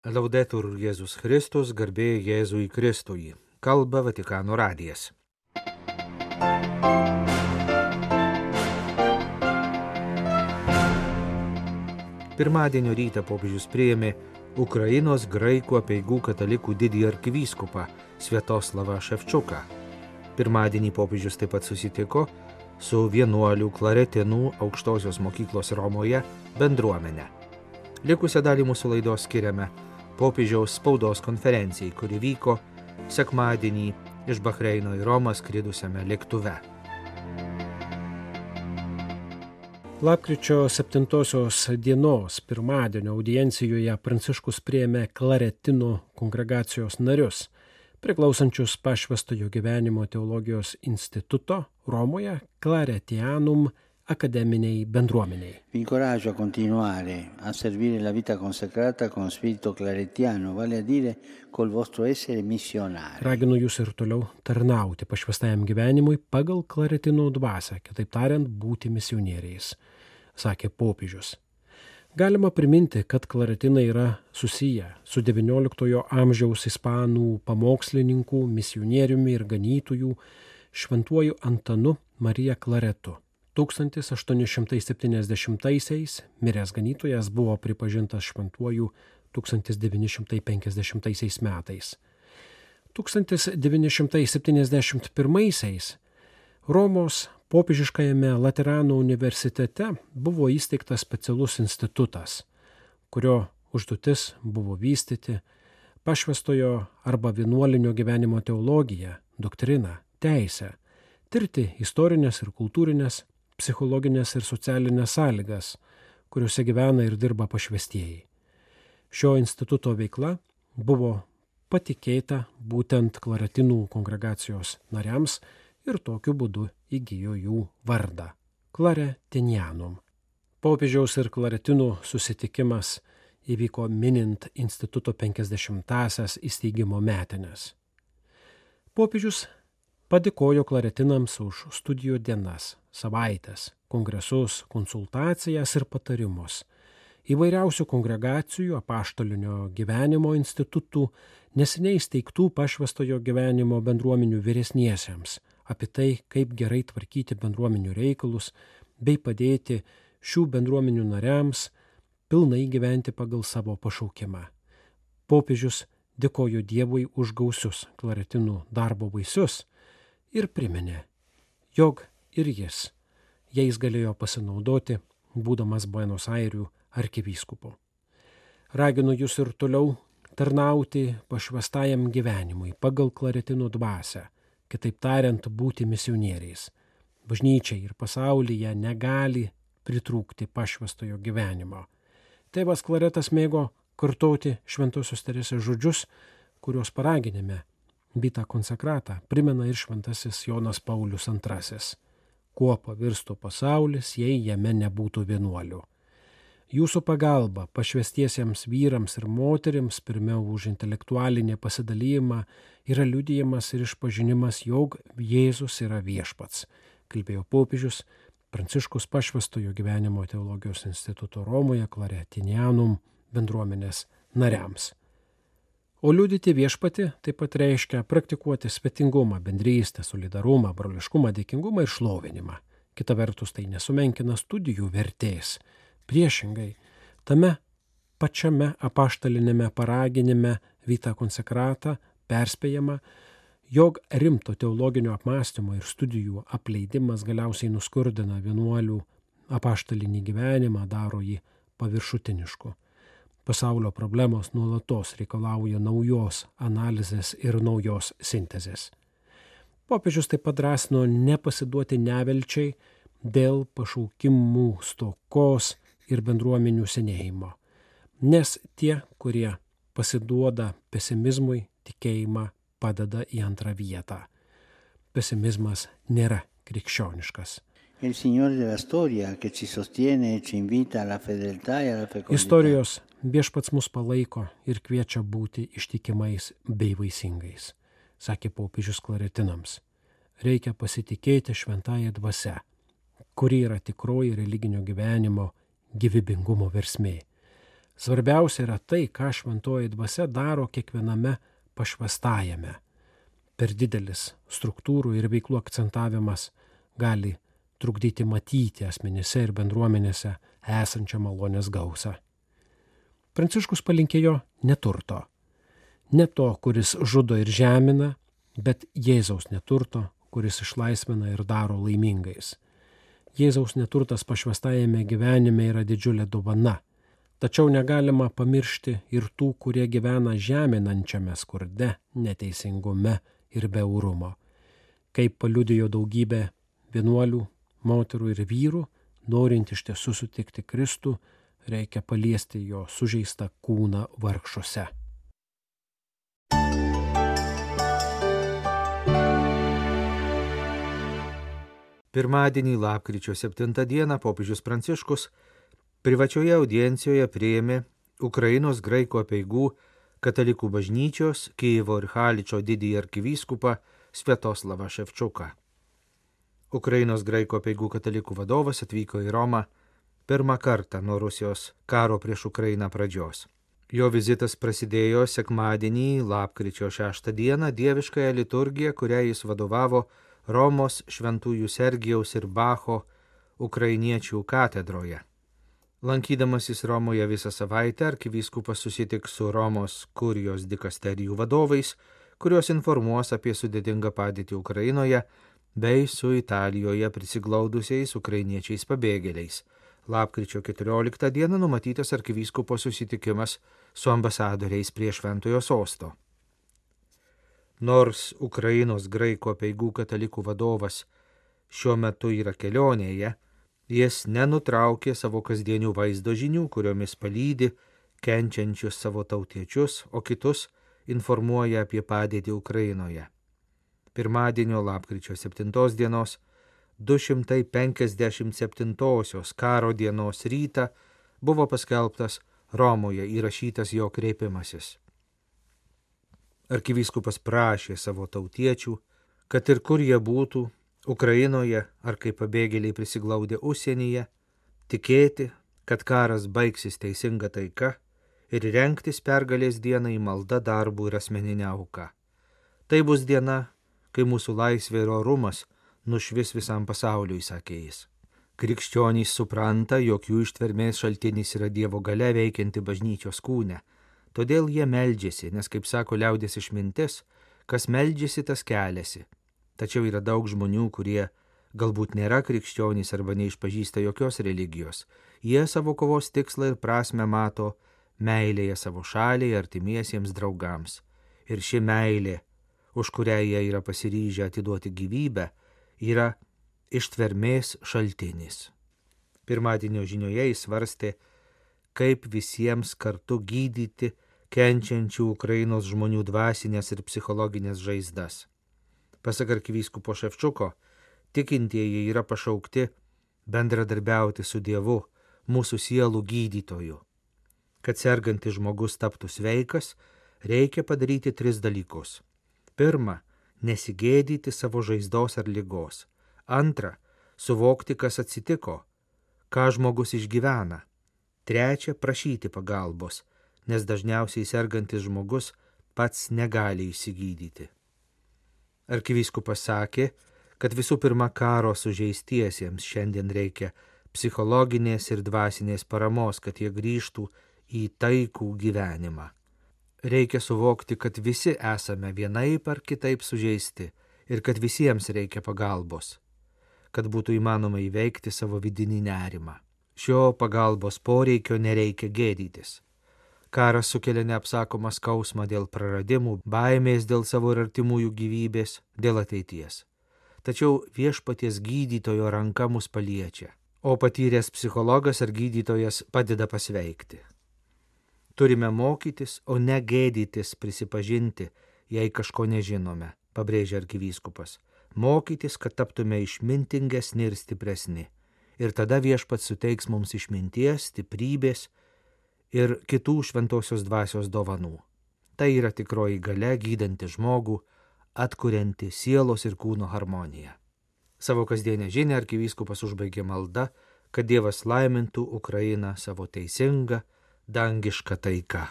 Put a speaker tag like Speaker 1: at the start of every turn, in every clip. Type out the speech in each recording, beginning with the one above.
Speaker 1: Laudetur Jėzus Kristus, garbė Jėzui Kristui. Kalba Vatikano radijas. Pirmadienio rytą popiežius priėmė Ukrainos graikų apeigų katalikų didįjį arkivyskupą Sviatoslavą Ševčuką. Pirmadienį popiežius taip pat susitiko su vienuolių klaretinų aukštosios mokyklos Romoje bendruomenė. Likusią dalį mūsų laidos skiriame popiežiaus spaudos konferencijai, kuri vyko sekmadienį iš Bahreino į Romą skridusiame lėktuve.
Speaker 2: Lapkričio 7 dienos pirmadienio audiencijoje Pranciškus priėmė klaretinų kongregacijos narius, priklausančius Pašvęstojo gyvenimo teologijos instituto Romoje Claretianum akademiniai bendruomeniai.
Speaker 3: Vi incoraggio a continuare a servire la vita consacrata con spirito claretiano, vale a dire col vostro essere missionari.
Speaker 2: Raginu jūs ir toliau tarnauti pašvęstajam gyvenimui pagal klaretinų dvasią, kitaip tariant, būti misionieriais, sakė popiežius. Galima priminti, kad klaretinai yra susiję su XIX amžiaus ispanų pamokslininkų, misionieriumi ir ganytojų šventuoju Antanu Marija Klaretu. 1870-aisiais miręs ganytojas buvo pripažintas šventuoju 1950 metais. 1971-aisiais Romos popiežiškajame Laterano universitete buvo įsteigtas specialus institutas, kurio užduotis buvo vystyti pašvęstojo arba vienuolinio gyvenimo teologiją, doktriną, teisę, tirti istorinės ir kultūrinės, psichologinės ir socialinės sąlygas, kuriuose gyvena ir dirba pašvęstieji. Šio instituto veikla buvo patikėta būtent klaretinų kongregacijos nariams ir tokiu būdu įgijo jų vardą – Claretianum. Popiežiaus ir klaretinų susitikimas įvyko minint instituto 50-asias įsteigimo metines. Popiežius padėkojo klaretinams už studijų dienas, savaites, kongresus, konsultacijas ir patarimus, įvairiausių kongregacijų, apaštalinio gyvenimo institutų, neseniai įsteigtų pašvęstojo gyvenimo bendruomenių vyresniesiems, apie tai, kaip gerai tvarkyti bendruomenių reikalus, bei padėti šių bendruomenių nariams pilnai gyventi pagal savo pašaukimą. Popiežius dėkojo Dievui už gausius klaretinų darbo vaisius ir priminė, jog ir jis, jais galėjo pasinaudoti, būdamas Buenos Airių arkivyskupu. Raginu jūs ir toliau tarnauti pašvęstajam gyvenimui pagal klaretinų dvasią, kitaip tariant, būti misionieriais. Bažnyčiai ir pasaulyje negali pritrūkti pašvęstojo gyvenimo. Tėvas Klaretas mėgo kartoti Šventosios Teresės žodžius, kuriuos paraginime Vita Consacrata primena ir šventasis Jonas Paulius II. Kuo pavirstų pasaulis, jei jame nebūtų vienuolių. Jūsų pagalba pašvęstiesiems vyrams ir moterims, pirmiau už intelektualinį pasidalijimą, yra liudijimas ir išpažinimas, jog Jėzus yra viešpats, kalbėjo popiežius Pranciškus Pašvęstojo gyvenimo teologijos instituto Romoje Claretianum bendruomenės nariams. O liudyti viešpatį taip pat reiškia praktikuoti svetingumą, bendrystę, solidarumą, broliškumą, dėkingumą ir šlovinimą. Kita vertus, tai nesumenkina studijų vertės. Priešingai, tame pačiame apaštalinėme paraginime Vita Consacrata perspėjama, jog rimto teologinio apmąstymo ir studijų apleidimas galiausiai nuskurdina vienuolių apaštalinį gyvenimą, daro jį paviršutinišku. Pasaulio problemos nuolatos reikalauja naujos analizės ir naujos sintezės. Popiežius taip pat drąsino nepasiduoti nevilčiai dėl pašaukimų stokos ir bendruomenių senėjimo, nes tie, kurie pasiduoda pesimizmui, tikėjimą padeda į antrą vietą. Pesimizmas nėra krikščioniškas.
Speaker 3: Il Signore della storia che ci sostiene e ci invita alla fedeltà e alla fecondità.
Speaker 2: Istorijos viešpats mus palaiko ir kviečia būti ištikimais bei vaisingais, sakė popiežius klaretinams. Reikia pasitikėti šventąja dvasia, kuri yra tikroji religinio gyvenimo gyvybingumo versmė. Svarbiausia yra tai, ką šventoji dvasia daro kiekviename pašvęstajame. Per didelis struktūrų ir veiklų akcentavimas gali trukdyti matyti asmenyse ir bendruomenėse esančią malonės gausą. Pranciškus palinkėjo neturto. Ne to, kuris žudo ir žemina, bet Jėzaus neturto, kuris išlaisvina ir daro laimingais. Jėzaus neturtas pašvęstajame gyvenime yra didžiulė dovana. Tačiau negalima pamiršti ir tų, kurie gyvena žeminančiame skurde, neteisingume ir beurumo. Kaip paliudijo daugybė vienuolių, moterų ir vyrų, norint iš tiesų sutikti Kristų, reikia paliesti jo sužeistą kūną vargšuose.
Speaker 1: Pirmadienį, lapkričio 7 dieną, popiežius Pranciškus privačioje audiencijoje priėmė Ukrainos graikų apeigų katalikų bažnyčios Kijevo ir Haličo didįjį arkivyskupą Sviatoslavą Ševčiuką. Ukrainos graikų apeigų katalikų vadovas atvyko į Romą pirmą kartą nuo Rusijos karo prieš Ukrainą pradžios. Jo vizitas prasidėjo sekmadienį, lapkričio 6 dieną, dieviškąją liturgiją, kurią jis vadovavo Romos šventųjų Sergijaus ir Bacho ukrainiečių katedroje. Lankydamasis Romoje visą savaitę, arkivyskupas susitiks su Romos kurijos dikasterijų vadovais, kurios informuos apie sudėtingą padėtį Ukrainoje bei su Italijoje prisiglaudusiais ukrainiečiais pabėgėliais. Lapkričio 14 dieną numatytas arkivyskupo susitikimas su ambasadoriais prie Šventojo sosto. Nors Ukrainos graikų apeigų katalikų vadovas šiuo metu yra kelionėje, jis nenutraukė savo kasdienių vaizdo žinių, kuriomis palydi kenčiančius savo tautiečius, o kitus informuoja apie padėtį Ukrainoje. Pirmadienio lapkričio 7 dienos 257 karo dienos rytą buvo paskelbtas Romoje įrašytas jo kreipimasis. Arkivyskupas prašė savo tautiečių, kad ir kur jie būtų, Ukrainoje ar kaip pabėgėliai prisiglaudę užsienyje, tikėti, kad karas baigsis teisinga taika ir rengtis pergalės dienai malda, darbų ir asmeninę auką. Tai bus diena, kai mūsų laisvė ir orumas nušvis visam pasauliui, sakė jis. Krikščionys supranta, jog jų ištvermės šaltinis yra Dievo galia veikianti bažnyčios kūne. Todėl jie meldžiasi, nes, kaip sako liaudies išmintis, kas meldžiasi, tas keliasi. Tačiau yra daug žmonių, kurie galbūt nėra krikščionys arba neišpažįsta jokios religijos. Jie savo kovos tikslą ir prasmę mato meilėje savo šaliai, artimiesiems draugams. Ir ši meilė, už kurią jie yra pasiryžę atiduoti gyvybę, yra ištvermės šaltinis. Pirmadienio žinioje jis svarstė, kaip visiems kartu gydyti kenčiančių Ukrainos žmonių dvasinės ir psichologinės žaizdas. Pasak arkivyskupo Ševčiuko, tikintieji yra pašaukti bendradarbiauti su Dievu, mūsų sielų gydytoju. Kad sergantis žmogus taptų sveikas, reikia padaryti 3 dalykus. Pirma, nesigėdyti savo žaizdos ar ligos. Antra, suvokti, kas atsitiko, ką žmogus išgyvena. Trečia, prašyti pagalbos, nes dažniausiai sergantis žmogus pats negali išsigydyti. Arkivyskupas sakė, kad visų pirma karo sužeistiesiems šiandien reikia psichologinės ir dvasinės paramos, kad jie grįžtų į taikų gyvenimą. Reikia suvokti, kad visi esame vienaip ar kitaip sužeisti ir kad visiems reikia pagalbos, kad būtų įmanoma įveikti savo vidinį nerimą. Šio pagalbos poreikio nereikia gėdytis. Karas sukelia neapsakomą skausmą dėl praradimų, baimės dėl savo ir artimųjų gyvybės, dėl ateities. Tačiau viešpaties gydytojo ranka mus paliečia, o patyręs psichologas ar gydytojas padeda pasveikti. Turime mokytis, o ne gėdytis prisipažinti, jei kažko nežinome, pabrėžia arkivyskupas. Mokytis, kad taptume išmintingesni ir stipresni. Ir tada viešpats suteiks mums išminties, stiprybės ir kitų šventosios dvasios dovanų. Tai yra tikroji galia gydanti žmogų, atkurianti sielos ir kūno harmoniją. Savo kasdienę žinią arkivyskupas užbaigė malda, kad Dievas laimintų Ukrainą savo teisingą, dangiška taika.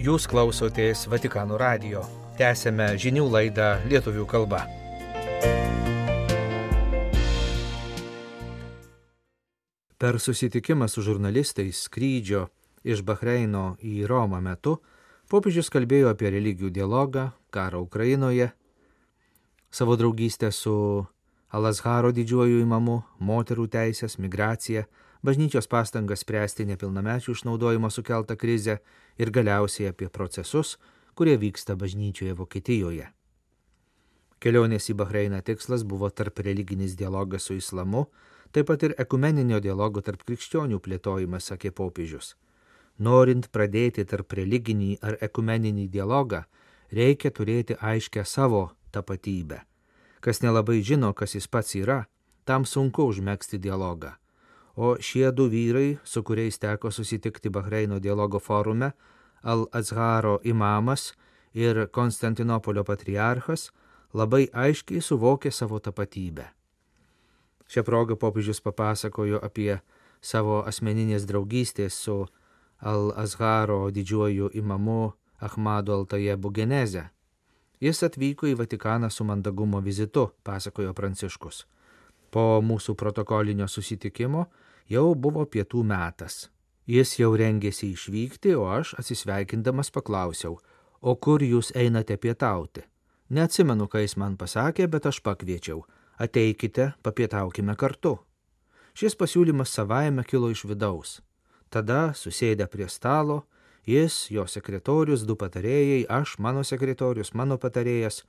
Speaker 1: Jūs klausotės Vatikano radijo. Tęsėme žinių laidą lietuvių kalba. Per susitikimą su žurnalistais skrydžio iš Bahreino į Romą metu popiežius kalbėjo apie religijų dialogą, karą Ukrainoje, savo draugystę su Al-Azharo didžiuoju imamu, moterų teisės, migraciją, bažnyčios pastangas spręsti nepilnamečių išnaudojimo sukeltą krizę ir galiausiai apie procesus, kurie vyksta bažnyčioje Vokietijoje. Kelionės į Bahreiną tikslas buvo tarp religinis dialogas su islamu, taip pat ir ekumeninio dialogo tarp krikščionių plėtojimas, sakė popiežius. Norint pradėti tarp religinį ar ekumeninį dialogą, reikia turėti aiškę savo tapatybę. Kas nelabai žino, kas jis pats yra, tam sunku užmegzti dialogą. O šie du vyrai, su kuriais teko susitikti Bahreino dialogo forume, Al-Azharo imamas ir Konstantinopolio patriarchas, labai aiškiai suvokė savo tapatybę. Šią progą popiežius papasakojo apie savo asmeninės draugystės su Al-Azharo didžiuoju imamu Ahmadu Al-Tajebu genezę. Jis atvyko į Vatikaną su mandagumo vizitu, pasakojo Pranciškus. Po mūsų protokolinio susitikimo jau buvo pietų metas. Jis jau rengėsi išvykti, o aš atsisveikindamas paklausiau, o kur jūs einate pietauti? Neatsimenu, ką jis man pasakė, bet aš pakviečiau. Ateikite, papietaukime kartu. Šis pasiūlymas savaime kilo iš vidaus. Tada, susėdę prie stalo, jis, jo sekretorius, du patarėjai, aš, mano sekretorius, mano patarėjas,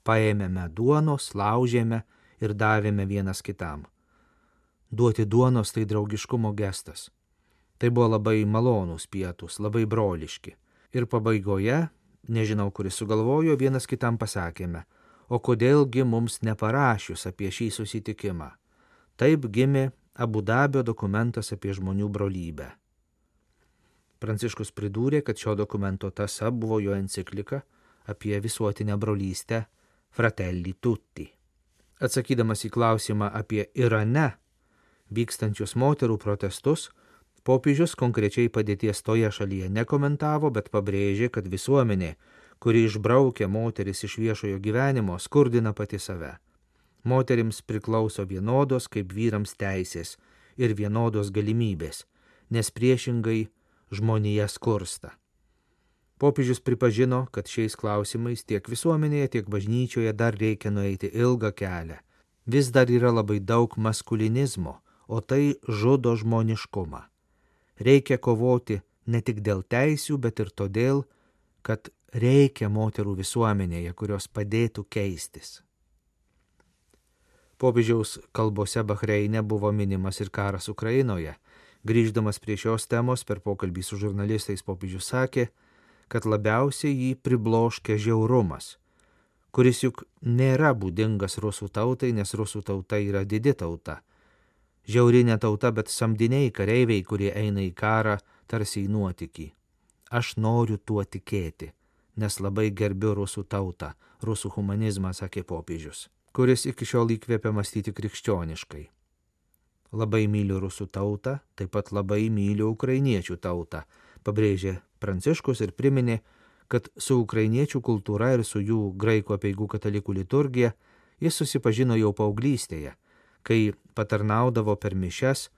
Speaker 1: paėmėme duonos, laužėme ir davėme vienas kitam. Duoti duonos tai draugiškumo gestas. Tai buvo labai malonūs pietūs, labai broliški. Ir pabaigoje, nežinau, kuris sugalvojo, vienas kitam pasakėme, o kodėlgi mums neparašius apie šį susitikimą. Taip gimė Abu Dabio dokumentas apie žmonių brolybę. Pranciškus pridūrė, kad šio dokumento tąsa buvo jo enciklika apie visuotinę brolystę Fratelli Tutti. Atsakydamas į klausimą apie Irane vykstančius moterų protestus, popiežius konkrečiai padėties toje šalyje nekomentavo, bet pabrėžė, kad visuomenė, kuri išbraukia moteris iš viešojo gyvenimo, skurdina pati save. Moterims priklauso vienodos kaip vyrams teisės ir vienodos galimybės, nes priešingai žmonija skursta. Popiežius pripažino, kad šiais klausimais tiek visuomenėje, tiek bažnyčioje dar reikia nueiti ilgą kelią. Vis dar yra labai daug maskulinizmo, o tai žudo žmoniškumą. Reikia kovoti ne tik dėl teisių, bet ir todėl, kad reikia moterų visuomenėje, kurios padėtų keistis. Popiežiaus kalbose Bahreine buvo minimas ir karas Ukrainoje. Grįždamas prie šios temos per pokalbį su žurnalistais popiežius sakė, kad labiausiai jį pribloškia žiaurumas, kuris juk nėra būdingas rusų tautai, nes rusų tauta yra didi tauta. Žiaurinė tauta, bet samdiniai kareiviai, kurie eina į karą, tarsi į nuotykį. Aš noriu tuo tikėti, nes labai gerbiu rusų tautą, rusų humanizmą, sakė popiežius, kuris iki šiol įkvėpia mąstyti krikščioniškai. Labai myliu rusų tautą, taip pat labai myliu ukrainiečių tautą, pabrėžė Pranciškus ir priminė, kad su ukrainiečių kultūra ir su jų graikų apeigų katalikų liturgija jis susipažino jau paauglystėje, kai patarnaudavo per mišias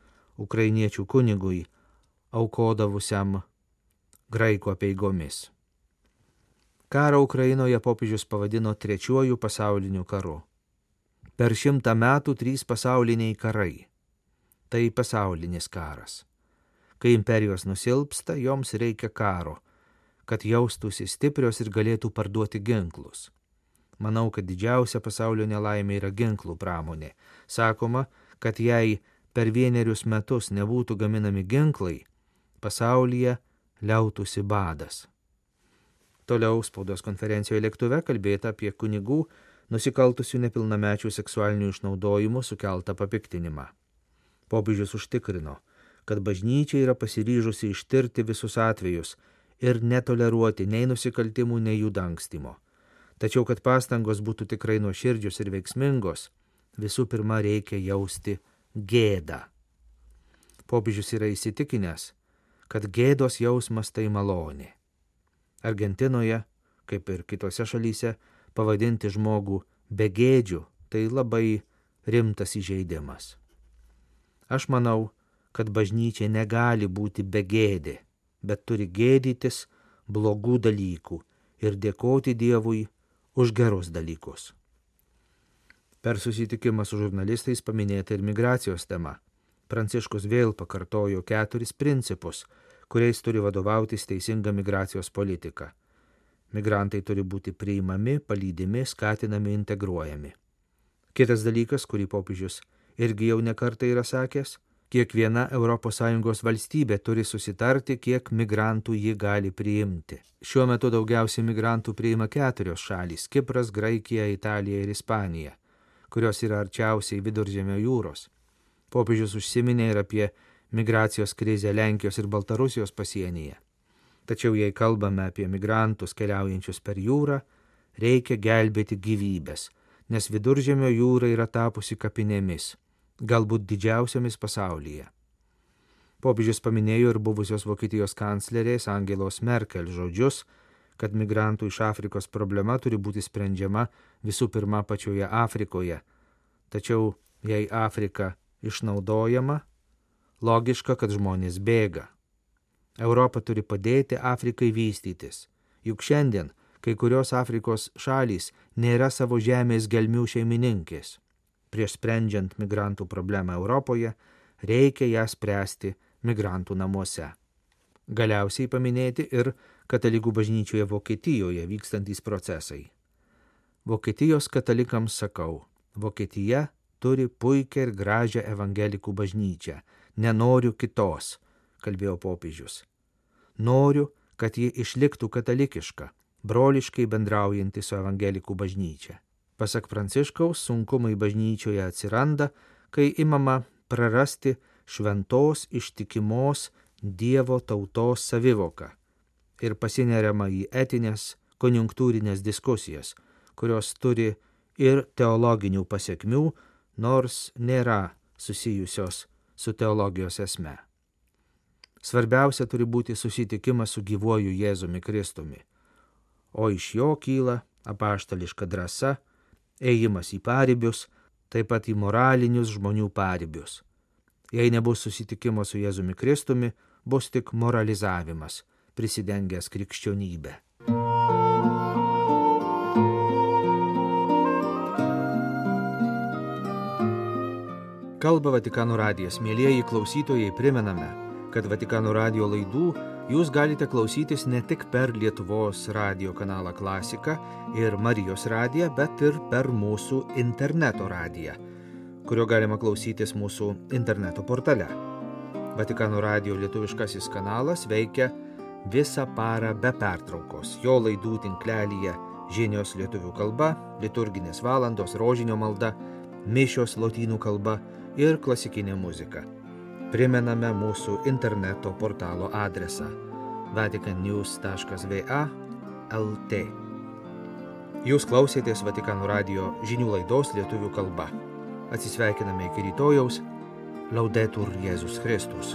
Speaker 1: ukrainiečių kunigui, aukodavusiam graikų apeigomis. Karą Ukrainoje popiežius pavadino trečiuoju pasauliniu karu. Per 100 metų 3 pasauliniai karai. Tai pasaulinis karas. Kai imperijos nusilpsta, joms reikia karo, kad jaustųsi stiprios ir galėtų parduoti ginklus. Manau, kad didžiausia pasaulio nelaimė yra ginklų pramonė. Sakoma, kad jei per 1 metus nebūtų gaminami ginklai, pasaulyje liautųsi badas. Toliau spaudos konferencijoje lėktuve kalbėta apie kunigų nusikaltusių nepilnamečių seksualinių išnaudojimų sukeltą papiktinimą. Popiežius užtikrino, kad bažnyčia yra pasiryžusi ištirti visus atvejus ir netoleruoti nei nusikaltimų, nei jų dangstymo. Tačiau, kad pastangos būtų tikrai nuoširdžios ir veiksmingos, visų pirma reikia jausti gėdą. Popiežius yra įsitikinęs, kad gėdos jausmas tai malonė. Argentinoje, kaip ir kitose šalyse, pavadinti žmogų begėdžiu tai labai rimtas įžeidimas. Aš manau, kad bažnyčia negali būti begėdė, bet turi gėdytis blogų dalykų ir dėkoti Dievui už gerus dalykus. Per susitikimą su žurnalistais paminėta ir migracijos tema. Pranciškus vėl pakartojo 4 principus, kuriais turi vadovautis teisinga migracijos politika. Migrantai turi būti priimami, palydimi, skatinami, integruojami. Kitas dalykas, kurį popiežius irgi jau nekartą yra sakęs, kiekviena ES valstybė turi susitarti, kiek migrantų ji gali priimti. Šiuo metu daugiausiai migrantų priima 4 šalys – Kipras, Graikija, Italija ir Ispanija, kurios yra arčiausiai Viduržemio jūros. Popiežius užsiminė ir apie migracijos krizę Lenkijos ir Baltarusijos pasienyje. Tačiau jei kalbame apie migrantus keliaujančius per jūrą, reikia gelbėti gyvybės, nes Viduržemio jūra yra tapusi kapinėmis, galbūt didžiausiomis pasaulyje. Popiežius paminėjo ir buvusios Vokietijos kanclerės Angelos Merkel žodžius, kad migrantų iš Afrikos problema turi būti sprendžiama visų pirma pačioje Afrikoje. Tačiau jei Afrika išnaudojama, logiška, kad žmonės bėga. Europa turi padėti Afrikai vystytis, juk šiandien kai kurios Afrikos šalys nėra savo žemės gelmių šeimininkės. Prieš sprendžiant migrantų problemą Europoje, reikia ją spręsti migrantų namuose. Galiausiai paminėti ir katalikų bažnyčioje Vokietijoje vykstantys procesai. Vokietijos katalikams sakau, Vokietija turi puikią ir gražią evangelikų bažnyčią, nenoriu kitos, kalbėjo popiežius. Noriu, kad ji išliktų katalikiška, broliškai bendraujanti su evangelikų bažnyčia. Pasak Pranciškaus, sunkumai bažnyčioje atsiranda, kai imama prarasti šventos ištikimos Dievo tautos savivoką ir pasineriama į etinės, konjunktūrinės diskusijas, kurios turi ir teologinių pasekmių, nors nėra susijusios su teologijos esme. Svarbiausia turi būti susitikimas su gyvuoju Jėzumi Kristumi, o iš jo kyla apaštališka drąsa, ėjimas į paribius, taip pat į moralinius žmonių paribius. Jei nebus susitikimo su Jėzumi Kristumi, bus tik moralizavimas, prisidengęs krikščionybę. Kalba Vatikano radijas. Mielieji klausytojai, primename, kad Vatikano radijo laidų jūs galite klausytis ne tik per Lietuvos radijo kanalą Klasika ir Marijos radiją, bet ir per mūsų interneto radiją, kurio galima klausytis mūsų interneto portale. Vatikano radijo lietuviškasis kanalas veikia visą parą be pertraukos. Jo laidų tinklelyje žinios lietuvių kalba, liturginės valandos, rožinio malda, mišios lotynų kalba ir klasikinė muzika. Primename mūsų interneto portalo adresą vaticannews.va/lt. Jūs klausėtės Vatikano radijo žinių laidos lietuvių kalba. Atsisveikiname iki rytojaus. Laudetur Jėzus Kristus.